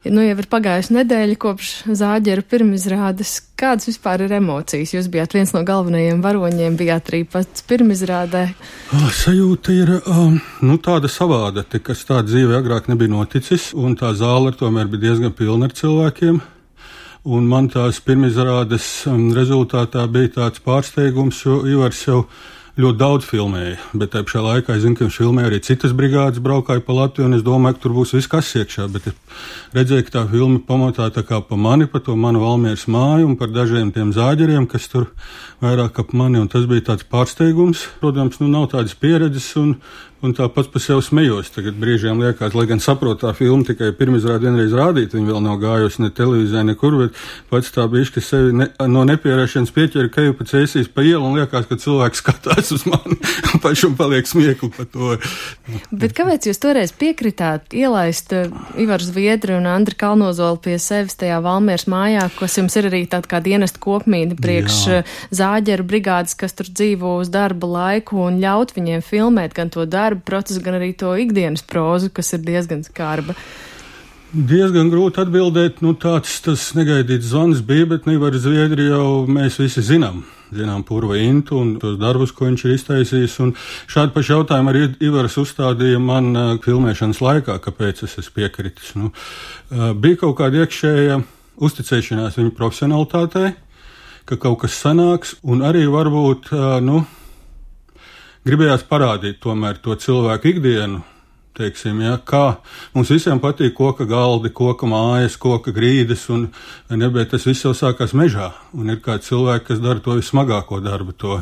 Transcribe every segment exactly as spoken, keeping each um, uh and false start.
Nu, jau ir pagājusi nedēļa kopš Zāģera pirmizrādes. Kādas vispār ir emocijas? Jūs bijāt viens no galvenajiem varoņiem, bijāt arī pats pirmizrādē. Oh, sajūta ir um, nu, tāda savāda, kas tā dzīve agrāk nebija noticis, un tā zāle tomēr bija diezgan pilna ar cilvēkiem. Un man tās pirmizrādes um, rezultātā bija tāds pārsteigums, jo Ivars jau ļoti daudz filmēja, bet tajā pašā laikā es zinu, ka viņš filmēja arī citas brigādes, braukāja pa Latviju, un es domāju, ka tur būs viss kas iekšā, bet es redzēju, ka tā filma pamatā tā kā pa mani, pa to manu Valmieras māju un par dažiem tiem zāģeriem, kas tur vairāk ap mani, un tas bija tāds pārsteigums. Protams, nu nav tādas pieredzes, un, un tā pats par sevi smejos. Tagad brīžiem liekas, lai gan saprot tā filma tikai pirmizrādi vienreiz rādīt, viņa vēl nav gājusi ne televīzijā, nekur, bet pats tā bišķi sevi ne, no nepierēšanas pieķera keju pa cēsīs pa ielu, un liekas, ka cilvēks skatās uz mani, un pašam paliek smiekli par to. Bet kāpēc jūs toreiz piekritāt ielaist Ivaru Zviedru un Andri Kalnozolu pie sevis tajā Valmieras mājā, kas jums ir arī tāda kā dienesta kopmīna priekš Jā. Zāģeru brigādes, kas tur dzīvo uz darba laiku, un ļaut viņiem filmēt gan to darbu procesu, gan arī to ikdienas prozu, kas ir diezgan skarba? Diezgan grūti atbildēt, nu tāds tas negaidīts zvans bija, bet Ivaru Zviedri jau mēs visi zinām. Zinām Purva Intu un tos darbus, ko viņš ir iztaisījis, un šādu pašu jautājumu arī Ivars uzstādīja man uh, filmēšanas laikā, kāpēc es esmu piekritis. Nu, uh, bija kaut kāda iekšēja uzticēšanās viņa profesionalitātei, ka kaut kas sanāks, un arī varbūt, uh, nu, gribējās parādīt tomēr to cilvēku ikdienu, teiksim, ja, kā mums visiem patīk koka galdi, koka mājas, koka grīdas, un nebēt tas viss jau sākās mežā, un ir kādi cilvēki, kas dara to vismagāko darbu, to,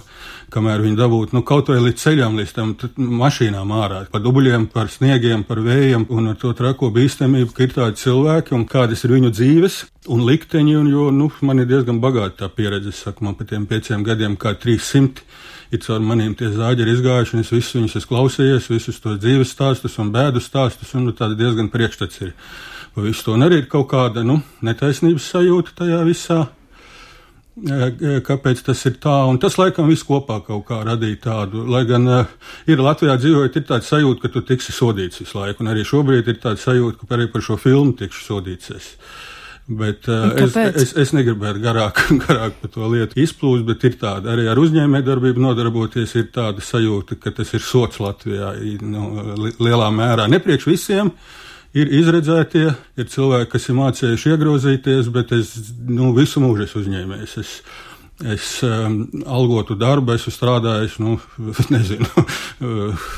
kamēr viņi dabūtu, nu, kaut vai līdz ceļām, līdz tam mašīnām ārā, par dubļiem, par sniegiem, par vējiem, un ar to trako bīstamību, ka ir tādi cilvēki, un kādas ir viņu dzīves, un likteņi, un jo, nu, man ir diezgan bagāta tā pieredze, es saku, man pa tiem pieciem gadiem kā trīssimti, ir caur maniem tie zāģeri izgājuši, un es visus viņus esmu klausījies, visus tos dzīves stāstus un bēdu stāstus, un nu, tāda diezgan priekšstats ir. Pa visu to un arī ir kaut kāda, nu, netaisnības sajūta tajā visā, kāpēc tas ir tā, un tas laikam viss kopā kaut kā radīja tādu, lai gan uh, ir Latvijā dzīvojot, ir tāda sajūta, ka tu tiksi sodīts visu laiku, un arī šobrīd ir tāda sajūta, ka arī par šo filmu tikšu sodīts es. Bet uh, es, es, es negribētu garāk, garāk par to lietu izplūst, bet ir tāda, arī ar uzņēmējdarbību nodarboties, ir tāda sajūta, ka tas ir sots Latvijā, nu, lielā mērā. Nepriekš visiem ir izredzētie, ir cilvēki, kas ir mācējuši iegrozīties, bet es, nu, visu mūžu esmu uzņēmējis. Es, es um, algotu darbu, esmu strādājis, nu, nezinu,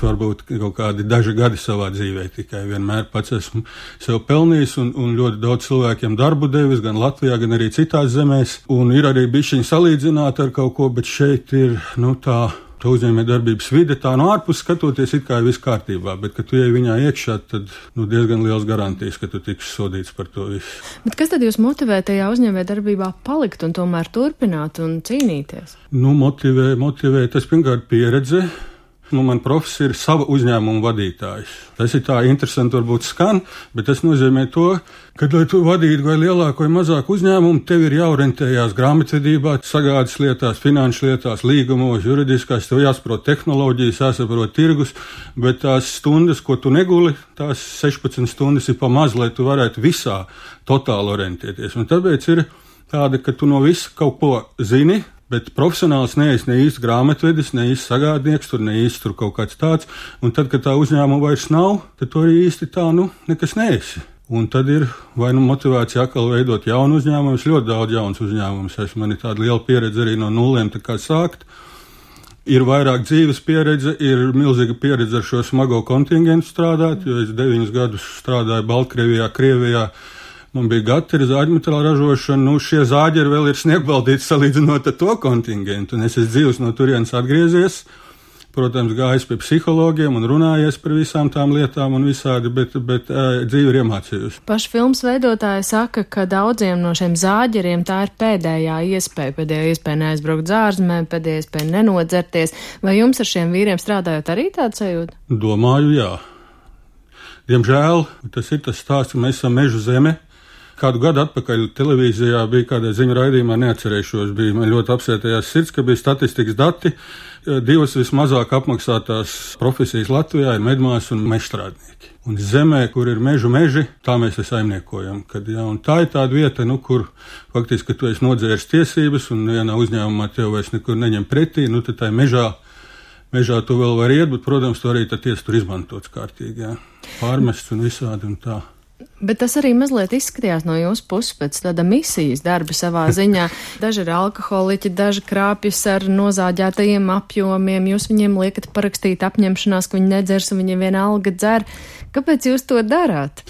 varbūt kaut kādi daži gadi savā dzīvē, tikai vienmēr pats esmu sev pelnījis un, un ļoti daudz cilvēkiem darbu devis, gan Latvijā, gan arī citās zemēs, un ir arī bišķiņi salīdzināt ar kaut ko, bet šeit ir, nu, tā, tā uzņēmējdarbības vide, tā no ārpus skatoties it kā ir viss kārtībā, bet, kad tu ej viņā iekšā, tad, nu, diezgan liels garantijas, ka tu tiksi sodīts par to visu. Bet kas tad jūs motivē tajā uzņēmējdarbībā palikt un tomēr turpināt un cīnīties? Nu, motivē, motivē, tas pirmkārt pieredze. Nu, man profesija ir sava uzņēmuma vadītājs. Tas ir tā interesanti varbūt skan, bet tas nozīmē to, ka, lai tu vadītu vai lielāku vai mazāku uzņēmumu, tev ir jāorientējās grāmatvedībā, sagādas lietās, finanšu lietās, līgumos, juridiskās, tev jāsaprot tehnoloģijas, jāsaprot tirgus, bet tās stundas, ko tu neguli, tās sešpadsmit stundas ir pa maz, lai tu varētu visā totāli orientēties. Un tāpēc ir tāda, ka tu no visa kaut ko zini, bet profesionāls neesi ne īsti grāmatvedis, ne īsti sagādnieks, tur ne īsti tur kaut kāds tāds, un tad, kad tā uzņēmuma vairs nav, tad tu arī īsti tā, nu, nekas neesi. Un tad ir vai nu motivācija atkal veidot jaunu uzņēmumu, es ļoti daudz jauns uzņēmumus esmu, man ir tāda liela pieredze arī no nulēm, tā kā sākt. Ir vairāk dzīves pieredze, ir milzīga pieredze ar šo smago kontingentu strādāt, jo es deviņus gadus strādāju Baltkrievijā, Krievijā. Man bija gatava zāģmetāla ražošana, nu šie zāģeri vēl ir sniegbaldīti salīdzinot ar to kontingentu, un es esmu dzīvs no turienes atgriezies, protams, gājis pie psihologiem un runājies par visām tām lietām un visādi, bet, bet uh, dzīve ir iemācījusi. Paši filmas veidotāji saka, ka daudziem no šiem zāģeriem tā ir pēdējā iespēja, pēdējā iespēja neaizbraukt zārzemē, pēdējā iespēja nenodzerties. Vai jums ar šiem vīriem strādājot arī tāda sajūta? Domāju, jā. Diemžēl tas ir tas stāsts, ka mēs esam meža zeme. Kādu gadu atpakaļ televīzijā bija kādā ziņu raidījumā, neatcerēšos, bija man ļoti apsētējās sirds, ka bija statistikas dati. Divas vismazāk apmaksātās profesijas Latvijā ir medmās un mežstrādnieki. Un zemē, kur ir mežu meži, tā mēs te saimniekojam. Kad, jā, un tā ir tāda vieta, nu, kur faktiski, ka tu esi nodzēris tiesības un vienā uzņēmumā tev vairs nekur neņem pretī, nu, tad tā ir mežā, mežā tu vēl var iet, bet, protams, tu arī tad tiesa tur izmantots kārtīgi, jā. Pārmests un visādi un tā. Bet tas arī mazliet izskatījās no jūsu puses pēc tāda misijas darba savā ziņā. Daži ir alkoholiķi, daži krāpjas ar nozāģētajiem apjomiem, jūs viņiem liekat parakstīt apņemšanās, ka viņi nedzers un viņiem vienalga dzer. Kāpēc jūs to darāt?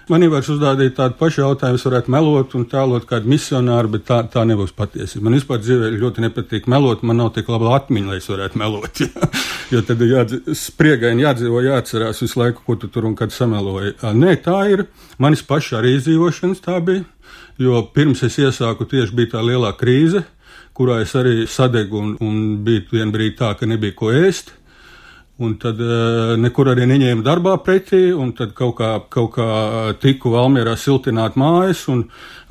Man jau var uzdādīt tādu pašu jautājumu, es varētu melot un tēlot kādu misionāru, bet tā, tā nebūs patiesība. Man vispār dzīvē ļoti nepatīk melot, man nav tik laba atmiņa, lai es varētu melot. Jā. Jo tad ir jādz, spriegaini jādzīvo, jāatcerās visu laiku, ko tu tur un kad sameloji. Nē, tā ir manis paša arī izdzīvošanas tā bija, jo pirms es iesāku tieši bija tā lielā krīze, kurā es arī sadegu un, un bija vien brīdi tā, ka nebija ko ēst. Un tad uh, nekur arī neņēma darbā pretī, un tad kaut kā, kaut kā tiku Valmierā siltināt mājas, un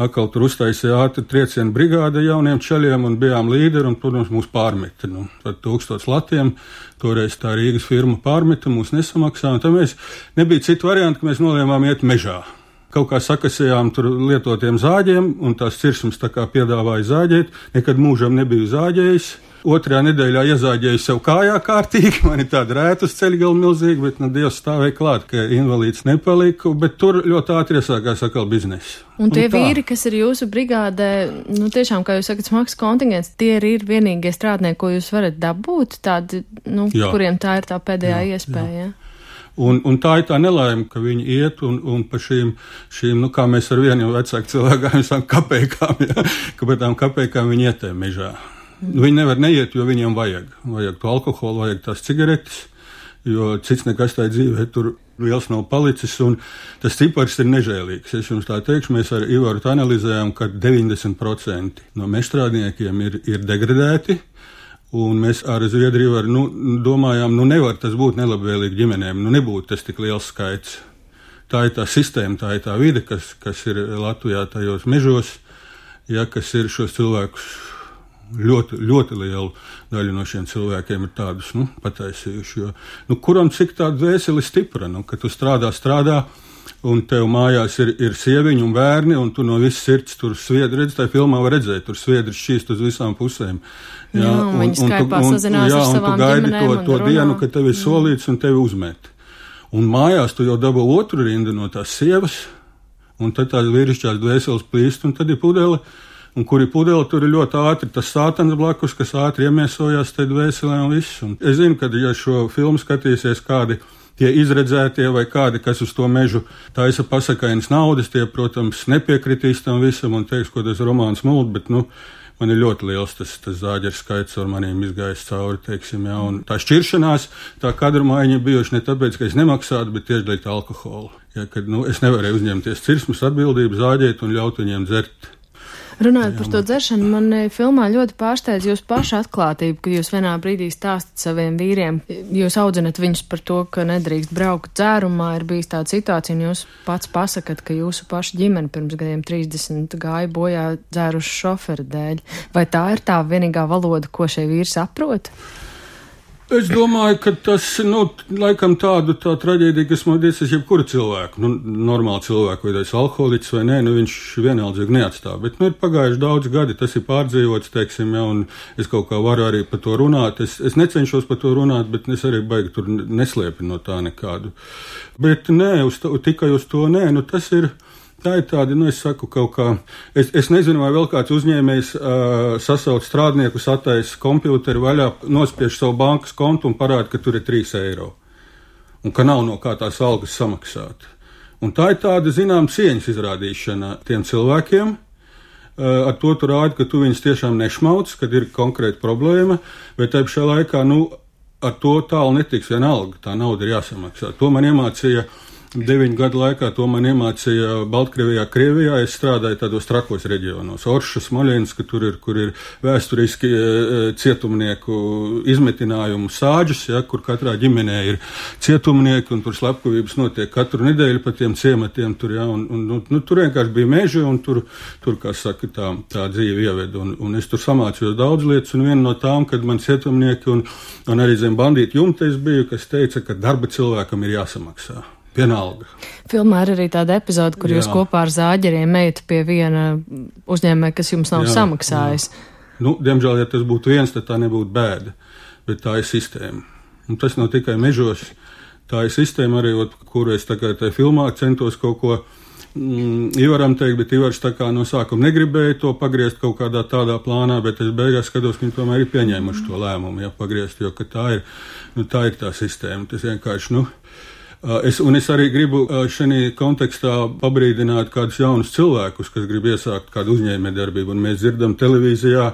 atkal tur uztaisīja ātri triecienu brigāde jauniem čaļiem, un bijām līderi, un, protams, mūs pārmeta. Nu, tad tūkstots latiem, toreiz tā Rīgas firma pārmeta, mūs nesamaksā, un tad mēs nebija citu variantu, ka mēs nolēmām iet mežā. Kaut kā sakasījām tur lietotiem zāģiem, un tās cirsums tā kā piedāvāja zāģēt, nekad mūžam nebiju zāģējis. Otrajā nedēļā iezāģēju sev kājā kārtīgi, man ir tāda rēta uz ceļgala milzīga, bet, nu, Dievs stāvēja klāt, ka invalīds nepalika, bet tur ļoti ātri iesākās atkal biznesa. Un tie un vīri, kas ir jūsu brigādē, nu, tiešām, kā jūs sakat, smags kontingents, tie arī ir vienīgie strādnieki, ko jūs varat dabūt, tādi, nu, jā. Kuriem tā ir tā pēdējā jā, iespēja, jā. Un, un tā ir tā nelaime, ka viņi iet un, un pa šīm, šīm, nu, kā mēs ar vienu vecāku cilvēku sākam kapējkām, jā, ka par tām kapējkām viņi ietē mežā. Viņi nevar neiet, jo viņiem vajag. Vajag to alkoholu, vajag tās cigaretes, jo cits nekas tā dzīvē tur liels nav palicis, un tas cipars ir nežēlīgs. Es jums tā teikšu, mēs ar Ivaru analizējām, ka deviņdesmit procenti no mežstrādniekiem ir, ir degradēti, un mēs ar Zviedriju var, nu, domājām, nu nevar tas būt nelabvēlīgi ģimenēm, nu nebūtu tas tik liels skaits. Tā ir tā sistēma, tā ir tā vide, kas, kas ir Latvijā tajos mežos, ja, kas ir šos cilvēkus. Ļoti, ļoti lielu daļu no šiem cilvēkiem ir tādus, nu, pataisījuši, jo, nu, kuram cik tā dvēseli stipra, nu, ka tu strādā, strādā, un tev mājās ir, ir sieviņi un bērni, un tu no visas sirds tur sviedri, redz, tā filmā var redzēt, tur sviedri šķīst uz visām pusēm. Jā, jā un, un viņi skaipā sazinās ar savām ģimenēm. Jā, un tu gaidi to, to dienu, kad tev ir solīts un tevi uzmet. Un mājās tu jau dabū otru rindu no tās sievas, un tad tās vīrišķās dvēseles plīst, un tad ir pudele. Un kur ir pudele, tur ir ļoti ātri tas sātans blakus, kas ātri iemiesojās te dvēselē un viss. Un es zinu, ka, ja šo filmu skatīsies kādi tie izredzētie vai kādi, kas uz to mežu taisa pasakainas naudas, tie, protams, nepiekritīs tam visam un teiks, ko tas romāns mult, bet, nu, man ir ļoti liels tas, tas zāģeru skaits ar maniem izgājis cauri, teiksim, jā. Un tā šķiršanās, tā kadru maiņa bijuši ne tāpēc, ka es nemaksātu, bet tieši dēļ alkoholu. Ja, kad, nu, es nevarēju uzņemties cirsmas atbildību, zāģēt un ļaut viņiem dzert. Runājot par to dzeršanu, man filmā ļoti pārsteidz jūsu paša atklātība, ka jūs vienā brīdī stāstat saviem vīriem, jūs audzinat viņus par to, ka nedrīkst braukt dzērumā, ir bijis tāda situācija, un jūs pats pasakat, ka jūsu paša ģimene pirms gadiem trīsdesmit gāja bojā dzērušu šoferi dēļ. Vai tā ir tā vienīgā valoda, ko šie vīri saprot? Es domāju, ka tas, nu, laikam tādu tā traģēdija, kas man diecas jebkura cilvēku, nu, normāli cilvēku, vai tas alkoholiķis vai nē, nu, viņš vienaldzīgi neatstāv. Bet, nu, ir pagājuši daudz gadi, tas ir pārdzīvots, teiksim, ja, un es kaut kā varu arī par to runāt. Es, es necenšos par to runāt, bet es arī baigi tur neslēpinu no tā nekādu. Bet nē, uz to, tikai uz to nē, nu, tas ir. Tā ir tāda, nu, es saku kaut kā, es, es nezinu, vai vēl kāds uzņēmējs uh, sasauc strādniekus, attaisa kompjūteri vaļā, nospiež savu bankas kontu un parāda, ka tur ir trīs eiro. Un ka nav no kā tās algas samaksāt. Un tā ir tāda, zinām, cieņas izrādīšana tiem cilvēkiem. Uh, ar to tu rādi, ka tu viņus tiešām nešmauc, kad ir konkrēta problēma, bet tā pašā laikā, nu, ar to tālu netiks vienalga, tā nauda ir jāsamaksā. To man iemācīja Deviņu gadu laikā to man iemācīja Baltkrievijā, Krievijā. Es strādāju tādos trakos reģionos. Orša, Smoļenska, tur ir, kur ir vēsturiski cietumnieku izmetinājumu sāģis, ja, kur katrā ģimenē ir cietumnieki, un tur slepkavības notiek katru nedēļu pa tiem ciematiem. Tur, ja, un, un, un, nu, tur vienkārši bija meži, un tur, tur kā saka, tā, tā dzīve ieved. Un, un es tur samācījos daudz lietas, un viena no tām, kad man cietumnieki un, un arī zem bandītu jumta es biju, kas teica, ka darba cilvēkam ir jāsamaksā. Vienalga. Filmā ir arī tāda epizode, kur Jā. Jūs kopā ar zāģeriem ejat pie viena uzņēmēja, kas jums nav Jā, samaksājis. Jā. Nu, diemžēl, ja tas būtu viens, tad tā nebūtu bēda, bet tā ir sistēma. Un tas nav tikai mežos, tā ir sistēma arī, kuru es tā kā tajā filmā centos kaut ko mm, Ivaram teikt, bet Ivars tā kā no sākuma negribēja to pagriezt kaut kādā tādā plānā, bet es beigās skatos, ka viņi tomēr ir pieņēmuši to lēmumu, ja pagriezt, jo ka tā ir, nu, tā ir tā sistēma. Tas vienkārši, nu, Es, un es arī gribu šajā kontekstā pabrīdināt kādus jaunus cilvēkus, kas grib iesākt kādu uzņēmējdarbību. Un mēs dzirdam televīzijā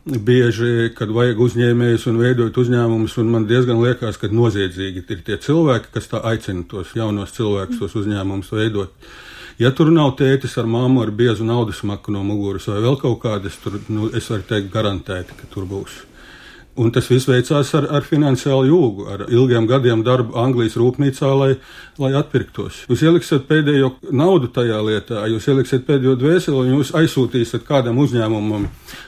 bieži, kad vajag uzņēmējus un veidot uzņēmumus, un man diezgan liekas, ka noziedzīgi ir tie cilvēki, kas tā aicina tos jaunos cilvēkus, tos uzņēmumus veidot. Ja tur nav tētis ar mammu ar biezu naudas maku no muguras vai vēl kaut kādas, tur, nu, es varu teikt garantēti, ka tur būs. Un tas viss veicās ar, ar finansiālu jūgu, ar ilgiem gadiem darbu Anglijas rūpnīcā, lai, lai atpirktos. Jūs ieliksiet pēdējo naudu tajā lietā, jūs ieliksiet pēdējo dvēseli un jūs aizsūtīsiet kādam uzņēmumam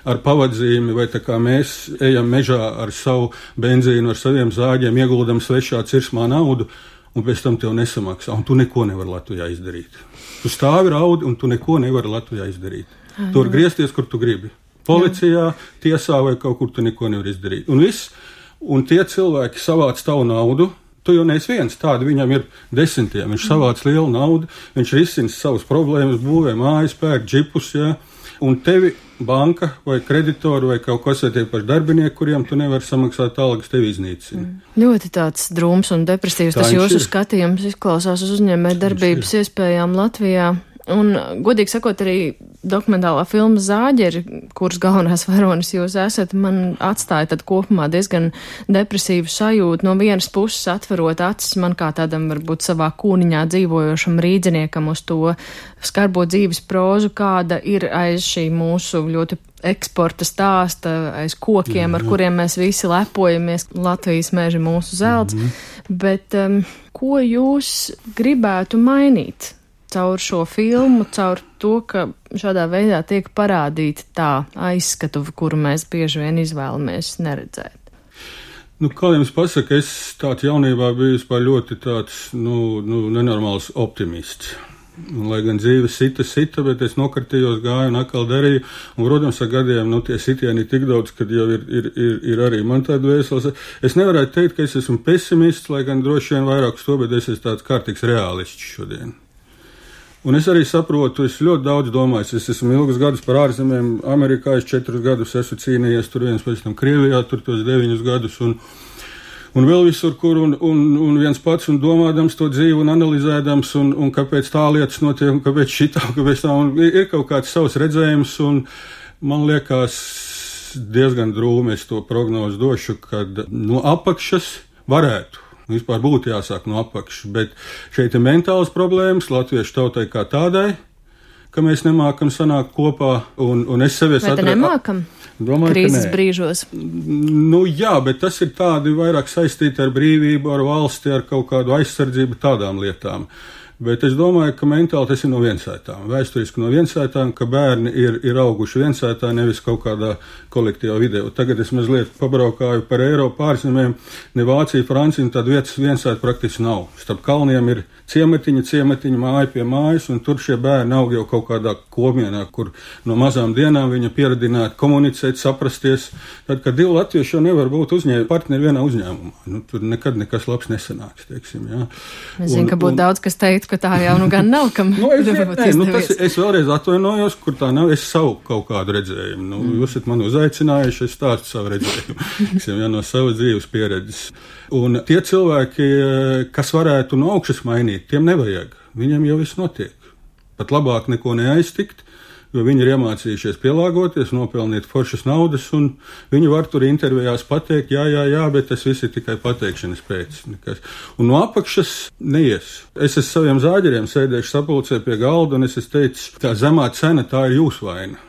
ar pavadzīmi, vai tā kā mēs ejam mežā ar savu benzīnu, ar saviem zāģiem, ieguldam svešā cirsmā naudu, un pēc tam tev nesamaksā, un tu neko nevari Latvijā izdarīt. Tu stāvi raudi, un tu neko nevari Latvijā izdarīt. Tu vari griezties, kur tu gribi. Policijā, tiesā vai kaut kur tu neko nevar izdarīt. Un viss, un tie cilvēki savāc tavu naudu, tu jau neesi viens, tādi viņam ir desmitiem, viņš savāc lielu naudu, viņš risina savas problēmas, būvē mājas, pērk džipus, jā, un tevi banka vai kreditori vai kaut kas vai tie paši darbinieki, kuriem tu nevari samaksāt algas, tevi iznīcina. Mm. Ļoti tāds drūms un depresīvs, tas jūsu skatījums izklausās uz uzņēmēju darbības iespējām Latvijā. Un, godīgi sakot, arī dokumentālā filma Zāģeri, kuras galvenās varonis jūs esat, man atstāja tad kopumā diezgan depresīvu sajūtu. No vienas puses atverot acis man kā tādam varbūt savā kūniņā dzīvojošam rīdziniekam uz to skarbo dzīves prozu, kāda ir aiz šī mūsu ļoti eksporta stāsta, aiz kokiem, mm-hmm. ar kuriem mēs visi lepojamies, Latvijas meži mūsu zelts. Mm-hmm. Bet um, ko jūs gribētu mainīt caur šo filmu, caur to, ka šādā veidā tiek parādīta tā aizskatu, kuru mēs bieži vien izvēlamies neredzēt? Nu, kā jums pasaka, es tāds jaunībā biju vispār ļoti tāds, nu, nu, nenormāls optimists. Un, lai gan dzīve sita, sita, bet es nokartījos, gāju un atkal darīju. Un, protams, ar gadiem, nu, tie sitieni ir tik daudz, kad jau ir, ir, ir, ir arī man tāda vēseles. Es nevarētu teikt, ka es esmu pesimists, lai gan droši vien vairāk uz to, bet es esmu tāds kārtīgs realists šodien. Un es arī saprotu, es ļoti daudz domāju, es esmu ilgus gadus par ārzemēm, Amerikā es četrus gadus esmu cīnījies, tur viens pēc tam Krievijā, tur tos deviņus gadus un, un vēl visur, kur un, un, un viens pats un domādams to dzīvi un analizēdams un, un kāpēc tā lietas notiek un kāpēc šitā, un kāpēc tā, un ir kaut kāds savs redzējums un man liekas diezgan drūmi es to prognozu došu, kad no apakšas varētu. Vispār būtu jāsāk no apakšas, bet šeit ir mentāls problēmas latviešu tautai kā tādai, ka mēs nemākam sanākt kopā, un, un es sevies atradu. Vai te nemākam? Domāju, krīzes brīžos? Nu jā, bet tas ir tādi vairāk saistīti ar brīvību, ar valsti, ar kaut kādu aizsardzību, tādām lietām. Bet es domāju, ka mentāli tas ir no viensētām, vēsturiski no viensētām, ka bērni ir, ir auguši viensētā, nevis kaut kādā kolektīvā vidē. Tagad es mazliet pabraukāju par Eiropu pārzemēm, ne Vācija, Francija, tad vietas viensēta praktiski nav. Starp kalniem ir ciematiņa, ciematiņa, māja pie mājas, un tur šie bērni aug jau kaut kādā komienā, kur no mazām dienām viņa pieradināti komunicēt, saprasties. Tad, kad divi latvieši jau nevar būt uzņēmumi partneri vienā uzņēmumā, nu, tur nekad nekas labs nesanāks, teiksim, jā. Es zinu, ka būtu daudz, kas teikt, ka tā jau nu gan nav, kam nu, es, nē, nu, tas, es vēlreiz atvainojos, kur tā nav, es savu kaut kādu redzējumu. Nu, mm. Jūs esat mani uzaicinājuši, es stāstu savu redzējumu, tiksim, jā, no savas dzīves pieredzes. Un tie cilvēki, kas varētu no augšas mainīt, tiem nevajag. Viņam jau viss notiek. Pat labāk neko neaiztikt, jo viņi ir iemācījušies pielāgoties, nopelnīt foršas naudas, un viņi var tur intervijās pateikt, jā, jā, jā, bet tas viss ir tikai pateikšanas pēc. Nekas. Un no apakšas neies. Es esmu saviem zāģeriem sēdējuši sapulcē pie galda, un es esmu teicis, tā zemā cena, tā ir jūsu vaina.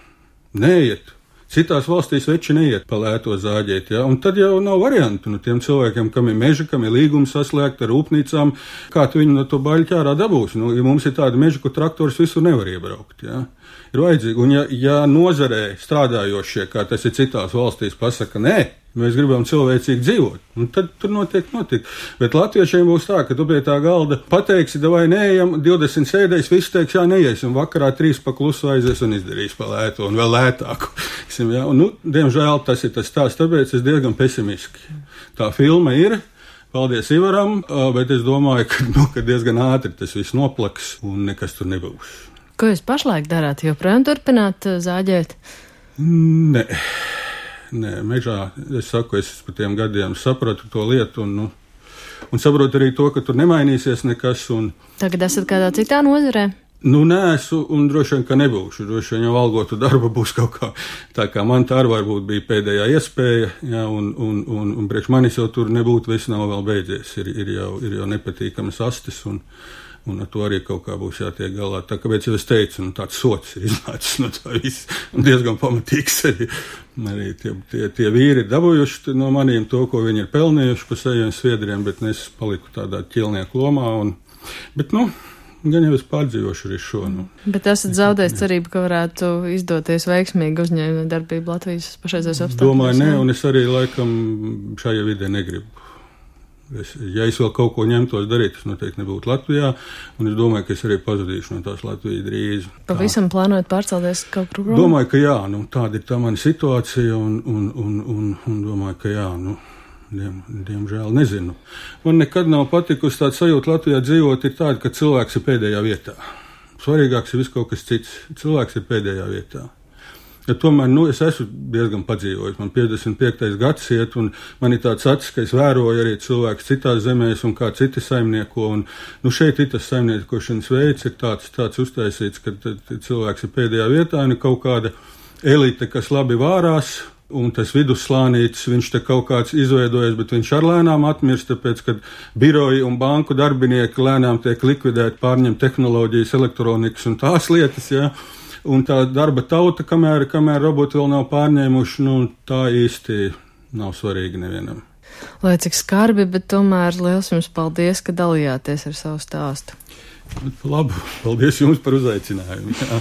Neiet. Citās valstīs veči neiet pa lēto zāģēt, ja? Un tad jau nav variantu. Nu, tiem cilvēkiem, kam ir meža, kam ir līgumi saslēgti ar rūpnīcām, kā tu viņu no to baļķi ārā dabūsi. Nu, ja mums ir tāda meža, kur traktors visur nevar iebraukt, ja? Ir vajadzīgi. Un ja, ja nozarē strādājošie, kā tas ir citās valstīs, pasaka, nē, mēs gribam cilvēcīgi dzīvot, un tad tur notiek notiek. Bet latviešiem būs tā, ka tu pie tā galda pateiksi, vai neejam, divdesmit sēdēs, viss teiks, jā, neies, un vakarā trīs pa klusu aizies un izdarīs pa lēto, un vēl lētāku. Ja? Un, nu, diemžēl tas ir tas tās, tāpēc es diezgan pesimiski. Tā filma ir, paldies Ivaram, bet es domāju, ka, nu, ka diezgan ātri tas viss noplaks, un nekas tur nebūs. Ko jūs pašlaik darāt? Joprojām turpināt zāģēt? Nē. Nē, mežā, es saku, es pa tiem gadiem sapratu to lietu un, nu, un saprotu arī to, ka tur nemainīsies nekas. Un, Tagad esat kādā citā nozarē? Nu, neesmu un droši vien, ka nebūšu. Droši vien jau algotu darba būs kaut kā. Tā kā man tā arī varbūt bija pēdējā iespēja, jā, un, un, un, un priekš manis jau tur nebūtu, viss nav vēl beidzies. Ir, ir, jau, ir jau nepatīkamas astes un, un ar to arī kaut kā būs jātiek galā. Tā kāpēc jau es teicu, nu, tāds sots ir iznācis no tā viss. Un diezgan pamatīgs arī. Arī tie, tie, tie vīri ir dabūjuši no maniem to, ko viņi ir pelnījuši pa saviem sviedriem, bet es paliku tādā ķilnieku lomā. Un, bet, nu, gan jau es pārdzīvošu arī šo. Nu. Bet esat zaudējis cerību, ka varētu izdoties veiksmīgi uzņēmuma darbību Latvijas pašreizējos apstākļos? Domāju, nē, un es arī laikam šajā vidē negribu. Es, ja es vēl kaut ko ņemtos darīt, tas noteikti nebūtu Latvijā, un es domāju, ka es arī pazudīšu no tās Latvijas drīz. Pavisam plānojat pārcelties kaut kur prom? Domāju, ka jā, nu, tāda ir tā mana situācija, un, un, un, un, un domāju, ka jā, nu, diem, diemžēl nezinu. Man nekad nav patikusi tāda sajūta Latvijā dzīvot, ir tāda, ka cilvēks ir pēdējā vietā. Svarīgāks ir viss kaut kas cits. Cilvēks ir pēdējā vietā. Ja tomēr, nu, es esmu diezgan padzīvojis. Man piecdesmit piektais gads iet, un man ir tāds acis, ka es vēroju arī cilvēkus citās zemēs un kā citi saimnieko. Un, nu, šeit ir tas saimniekošanas veids, ir tāds, tāds uztaisīts, ka cilvēks ir pēdējā vietā, un ir kaut kāda elite, kas labi vārās, un tas vidusslānītis, viņš te kaut kāds izveidojas, bet viņš ar lēnām atmirst, tāpēc, kad biroji un banku darbinieki lēnām tiek likvidēti, pārņem tehnoloģijas, elektronikas un tās lietas, jā. Ja? Un tā darba tauta, kamēr, kamēr roboti vēl nav pārņēmuši, nu, tā īsti nav svarīga nevienam. Lai cik skarbi, bet tomēr liels jums paldies, ka dalījāties ar savu stāstu. Bet, labu, paldies jums par uzaicinājumu. Jā.